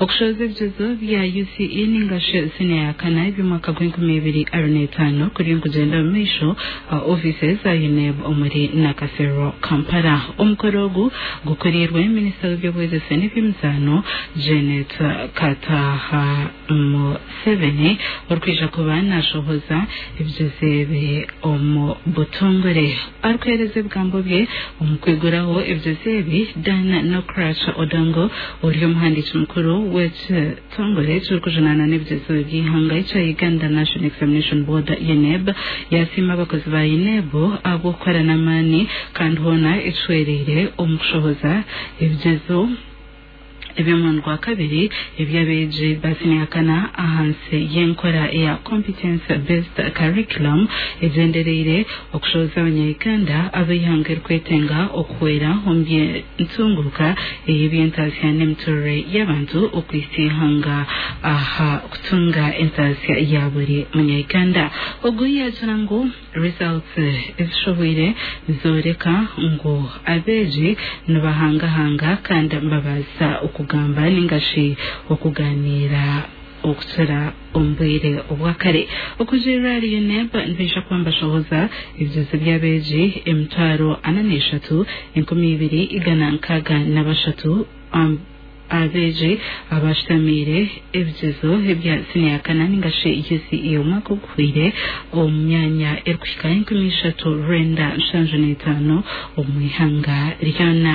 Okushohoza ebigyezo bya UCE ningashi siniya ya kana eby'omwaka gw'e2025 kuriyo nikugyenda omu maisho aha ofiisi za UNEB omuri Nakasero, Kampala. Omukoro ogu gukuriirwe minisita w'eby'obwegyese n'eby'emizaano Janet Kataaha Museveni orikwija kuba nashohoza ebigyezo ebi omu butongore. Arikuheereza ebigambo bye omu kwiguraho ebigyezo ebi, Dan Nokrach Odongo ori omuhandiiki mukuru w'ekitongore ekirikujunaana n'ebigyezo by'eihanga ekya Uganda National Examination Board, UNEB, yasiima abakozi ba UNEB ahabw'okukora n'amaani kandi hoona ekihwereire omu kushohoza ebigyezo eby'omurundi gwa kabiri eby'abeegi ba siniya kana ahansi y'enkora eya Competence Based Curriculum egyendereire okushohoza abanya-Uganda ab'eihanga erikwetenga okuhwera omu by'entunguuka ey'eby'entaasya n'emiturire y'abantu okuhitsya eihanga aha kutunga entaasya ya buri munya-Uganda. Ogu yaagira ngu Results ezishohweire nizooreka ngu abeegi nibahangahanga kandi nibabaasa okugamba ninga shi okuganiira okukira omu bwire obwa kare. Okurugiirira ahari UNEB, nibaija kuba nibashohoza ebigyezo by'abeegi 43,263 Abeegi abashutamiire ebigyezo ebya siniya kana ninga shi UCE omwaka oguhweire omu myanya erikuhika 3975 omu ihanga ryona.